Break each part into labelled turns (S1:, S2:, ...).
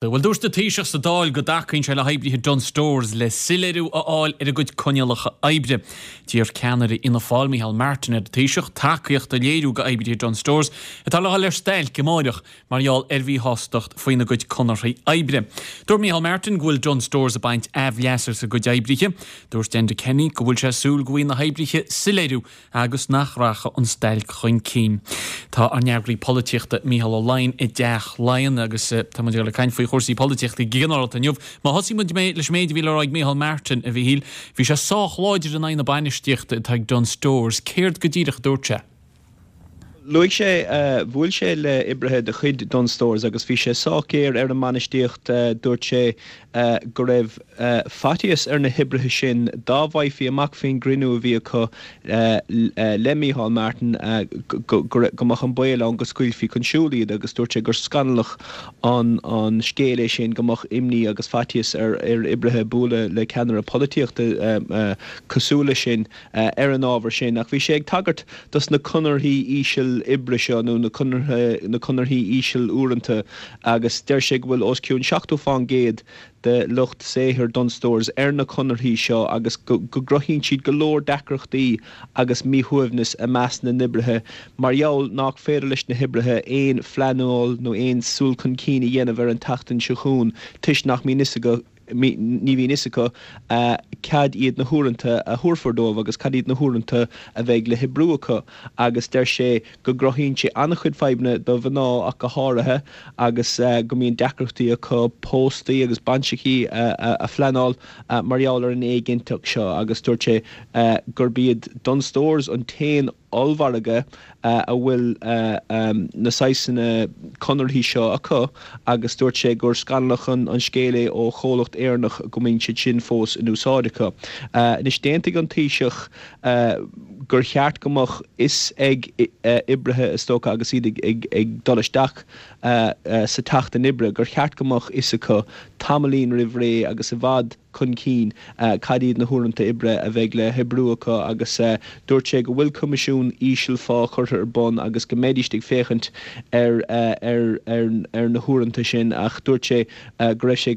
S1: Bhuel, dúirt an Taoiseach sa Dáil go dtacaíonn sé le hoibrithe Dunnes Stores le soiléiriú a fháil ar a gcuid coinníollacha oibre. D'iarr ceannaire Fhianna Fáil, Micheál Martin, ar an Taoiseach tacaíocht a léiriú go oibrithe Dunnes Stores atá le dhul ar stailc amáireach mar gheall ar mhíshástacht faoina gcuid conarthaí oibre. Dúirt Micheál Martin go bhfuil Dunnes Stores ag baint aimhleas as a gcuid oibrithe. Dúirt Enda Kenny go bhfuil sé ag súil go bhfaighidh na hoibrithe soiléiriú agus nach rachaidh an stailc chun cinn. Tá ár n-eagraí polaitíochta Mícheál Ó Laighin i dTeach Laighean agus tá muid ag dul ag caint faoi chúrsaí polaitíochta go ginearálta inniu. Má thosaíonn muid leis an méid a bhí le rá ag Micheál Martin, a Mhíchíl, bhí sé sách láidir in aghaidh na bainistíochta atá ag Dunnes Stores. Céard go díreach a dúirt sé?
S2: Luaigh sé, bhuail sé le oibrithe de chuid Dunnes Stores agus bhí sé sách géar ar an mbainistíocht. Dúirt sé go raibh faitíos ar na hoibrithe sin dá bhfaighfí amach faoin gcruinniú a bhí acu le Micheál Martin go mbeadh an baol ann go scaoilfí chun siúil iad agus dúirt sé gur scannalach an scéal é sin go mbeadh imní agus faitíos ar oibrithe bualadh le ceannaire polaitíochta cosúil leis sin ar an ábhar sin. Ach bhí sé ag tagairt dos na conarthaí íseal oibre seo nó na conarthaí íseal uaireanta agus deir sé go bhfuil os cionn 70 fán gcéad de lucht saothair Dunnes Stores ar na conarthaí seo agus go gcruthaíonn siad go leor deacrachtaí agus míshuaimhneas i measc na n-oibrithe mar gheall nách féidir leis na hoibrithe aon phleanáil nó aon súil chun cinn a dhéanamh ar an tseachtain seo chugainn toisc nach mbíonn fhios acu ní bhíonn fhios acu cad iad na huaireanta a thabharfar dóibh agus cad iad na huaireanta a bheidh le hoibriú acu agus deir sé go gcruthaíonn sé an-chuid fadhbanna do mhná ach go háirithe agus go mbíonn deacrachtaí acu póstaí agus bainseachaí a phleanáil mar gheall ar an éiginnteacht seo agus dúirt sé gurb iad Dunnes Stores an t-aon ollmhargadh a bhfuil na saghsanna conarthaí seo acu agus dúirt sé gur scannalach an scéal é ó chomhlacht Éireannach go mbíonn siad sin fós in úsáid acu. Anois d'aontaigh an Taoiseach gur cheart go mbeadh fhios ag oibrithe is dócha agus iad ag dul isteach sa tseachtain oibre gur cheart go mbeadh fhios acu tamaillín roimh ré agus i bhfad chun cinn cad iad na huaireanta oibre a bheidh le hoibriú acu agus dúirt sé go bhfuil coimisiún íseal-phá curtha ar bun agus go mbeidís ag féachaint ar ar na huaireanta sin ach dúirt sé go raibh sé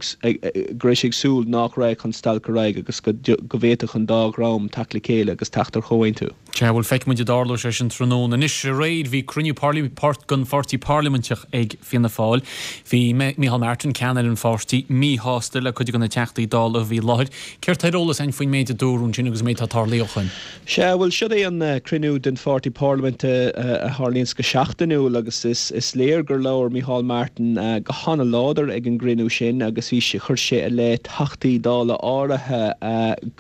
S2: go raibh sé ag súil nach raghadh an stailc ar aghaidh agus go go bhféadfadh an dá dhream teacht le chéile agus teacht ar chomhaontú.
S1: Sea, bhuel, feicfidh muid an dtarlóidh sé sin tráthnóna. Anois, aréir, bhí cruinniú den pháirtí parlaiminteach ag Fianna Fáil. Bhí Micheál Martin, ceannaire an pháirtí, míshásta le cuid de na Teachtaí Dála a bhí i láthair. Céard tá ar eolas againn faoin méid a dúradh ansin agus an méid atá tarlaithe ó shoin?
S2: Sea, bhuel, siod é an cruinniú den pháirtí parlaiminte a tharlaíonns go seachtainiúil agus is léir gur labhair Micheál Martin go hana-láidir ag an gcruinniú sin agus bhí sé, chuir sé i leith Teachtaí Dála áirithe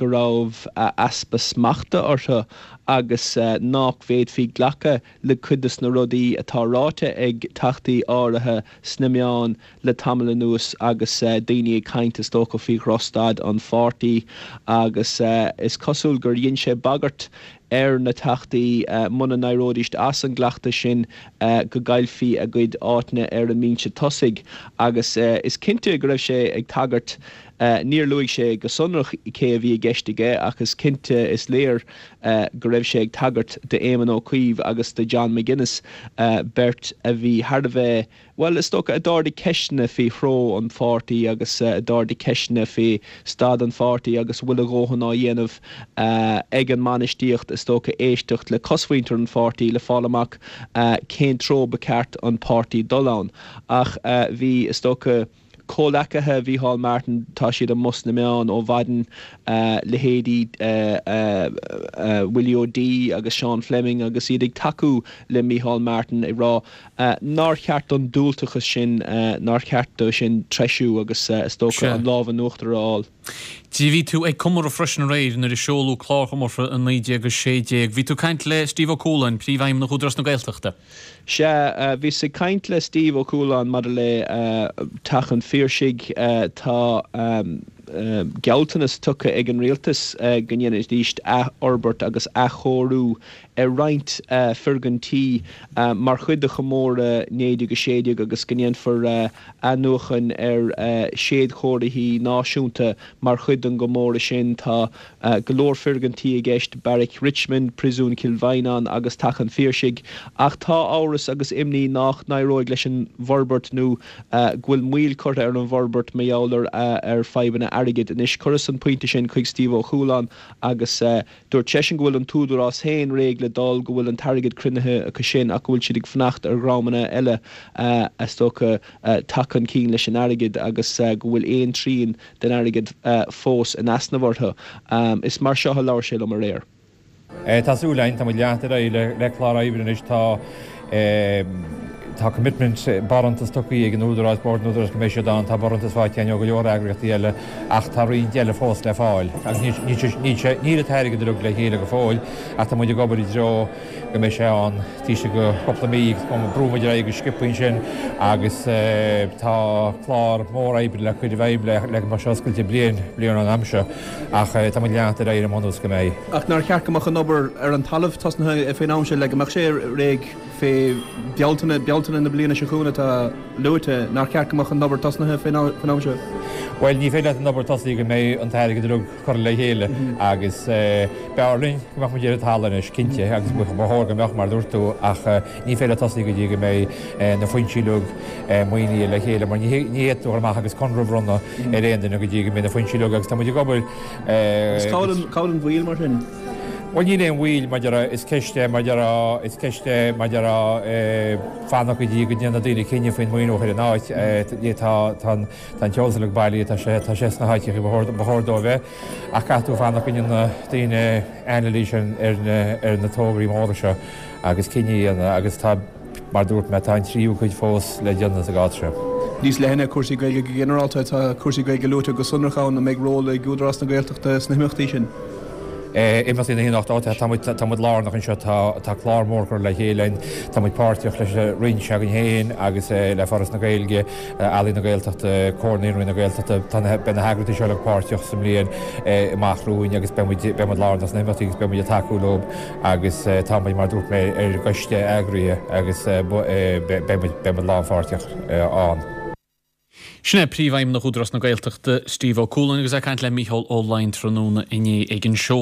S2: go raibh. easpa smachta orthu agus nách bhféadfaí glacadh le cuid de na rudaí atá ráite ag Teachtaí áirithe sna meáin le tamall anuas agus daoine ag caint is dócha faoi dhrochstaid an pháirtí agus is cosúil gur dhein sé bagairt ar na Teachtaí muna n-éireoidíst as an gcleachtas sin go gcaillfí a gcuid áiteanna ar an mbinse tosaigh agus is cinnte go raibh sé ag tagairt Níor luaigh sé go sonrach cé a bhí i gceist aige ach is cinnte, is léir go raibh sé ag tagairt d'Éamon Ó Cuív agus do John McGuinness, beirt a bhí thar a bheith, bhuel, is dócha, a d'ardaigh ceisteanna faoi threo an pháirtí agus a d'ardaigh ceisteanna faoi staid an pháirtí agus an bhfuil a dhóthain á dhéanamh ag an mbainistíocht, is dócha, éisteacht le cosmhuintir an pháirtí le fáil amach cén treo ba cheart an páirtí dul ann. Ach bhí, is dócha. Comhleacaithe Mhícheál Martin, tá siad amuigh sna meáin ó mhaidin, leithéidí Willie O'Dea agus Seán Fleming agus iad ag tacú le Mícheál Martin ag rá nár cheart don diúltachas sin, nár cheart dó sin treisiú agus is dócha an lámh in uachtar a fháil.
S1: Bhí tú ag comóradh freisin aréir nuair a seoladh clár chomórtha 1916. Bhí tú ag caint le Steve Ó Cualáin, Príomhfheidhmeannach Údarás na Gaeltachta.
S2: Sea, bhíos ag caint le Steve Ó Cualáin maidir le Teach an Phiarsaigh. Tá. gealltanas tugtha ag an rialtas go ndéanfaidís athfhorbairt agus athchóiriú ar roinnt foirgintí mar chuid de chomóradh 1916 agus go ndéanfar athnuachan ar séadchomharthaí náisiúnta mar chuid den gcomóradh sin. Tá go leor foirgintí i gceist, Beairic Richmond, Príosún Chill Mhaighneáin agus Teach an Phiarsaigh, ach tá amhras agus imní nach n-éireoidh leis an bhforbairt nó go bhfuil moill curtha ar an bhforbairt mar gheall ar fadhbanna airgid. Anois, chuireas an pointe sin chuig Steve Ó Cualáin agus dúirt seisean go bhfuil an tÚdarás féin réidh le dul, go bhfuil an t-airgead cruinnithe acu sin ach go bhfuil siad ag fanacht ar dhreamanna eile, is dócha, teacht chun cinn leis an airgead agus go bhfuil aon trian den airgead fós in easnamh orthu. Is mar seo a labhair sé liom aréir.
S3: Tá súil againn, tá muid ag leanacht ar aghaidh le clár oibre anois, tá tá commitment, barántas tugtha ag an Údarás, Bord an Údaráis go mbeidh siad ann, tá barántas faighte againn ó go leor eagraíochtaí eile ach tá roinnt eile fós le fáil agus níl sé, níl sé, níl an t-airgead uilig le chéile go fóill ach tá muid ag obair i dtreo go mbeidh sé ann taobh istigh de chúpla mí agus brúfaidh muid ar aghaidh go sciobtha ansin agus tá clár mór oibre le cur i bhfeidhm le go mbeadh sé oscailte bliain, bliain ón am seo ach tá muid ag leanacht ar aghaidh ar an mbunús go mbeidh.
S2: Ach nár cheart go mbeadh an obair ar an talamh tosnaithe fén am seo le go mbeadh sé réidh fé Bealtaine, Bealtaine na bliana seo chugainn atá luaite, nár cheart go mbeadh an obair tosnaithe fén am seo?
S3: Bhuel, ní féidir leat an obair tosaí go mbeidh an t-airgead uilig curtha le chéile agus b'fhearr linn go mbeadh muid ar an talamh anois, cinnte, agus ba chóir go mbeadh, mar a dúirt tú, ach ní féidir tosaí go dtí go mbeidh na foinsí uilig maoinithe le chéile mar ní fhéadfá dul amach agus conradh a bhronnadh ar aon duine go dtí go mbeidh na foinsí uilig agus tá muid ag obair
S2: Agus cá bhfuil an mhoill mar sin?
S3: Bhuel níl aon mhoill mar a déarfá, is ceist é mar a déarfá, is ceist é mar a déarfá fanacht go dtí go ndéanfaidh daoine cinneadh faoin maoiniú a chur in áit. Tá tá an Tá an t-eolas uilig bailithe, tá sé, tá sé sna háiteacha ba chóir, ba chóir dó a bheith, ach caithfidh tú fanacht go ndéanfaidh daoine anailís ar, ar na, ar na tograí móra seo agus cinneadh a dhéanamh agus tá, mar a dúirt mé, tá an tríú cuid fós le déanamh sa gcás seo.
S2: Níos leithne, cúrsaí Gaeilge go ginearálta, tá cúrsaí Gaeilge luaite go sonrach ann, an mbeidh ról ag Údarás na Gaeltachta sna himeachtaí sin?
S3: Imeachtaí na hAoine 8, tá muid, tá muid lárnach anseo, tá, tá clár mór curtha le chéile againn, tá muid páirteach leis an Roinn s'againn féin agus le Foras na Gaeilge, Ealaín na Gaeltachta, Comhar Naíonraí na Gaeltachta, tá na, beidh na heagraíochtaí seo uilig páirteach sa mbliain amach romhainn agus beidh muid, beidh muid lárnach sna himeachtaí agus beidh muid ag tacú leo agus tá muid, mar a dúirt mé, ar an gcoiste eagraithe agus beidh muid, beidh muid lánpháirteach ann.
S1: Sin é Príomhfheidhmeannach Údarás na Gaeltachta, Steve Ó Cualáin agus é ag caint le Mícheál Ó Laighin tráthnóna inné ag an seoladh.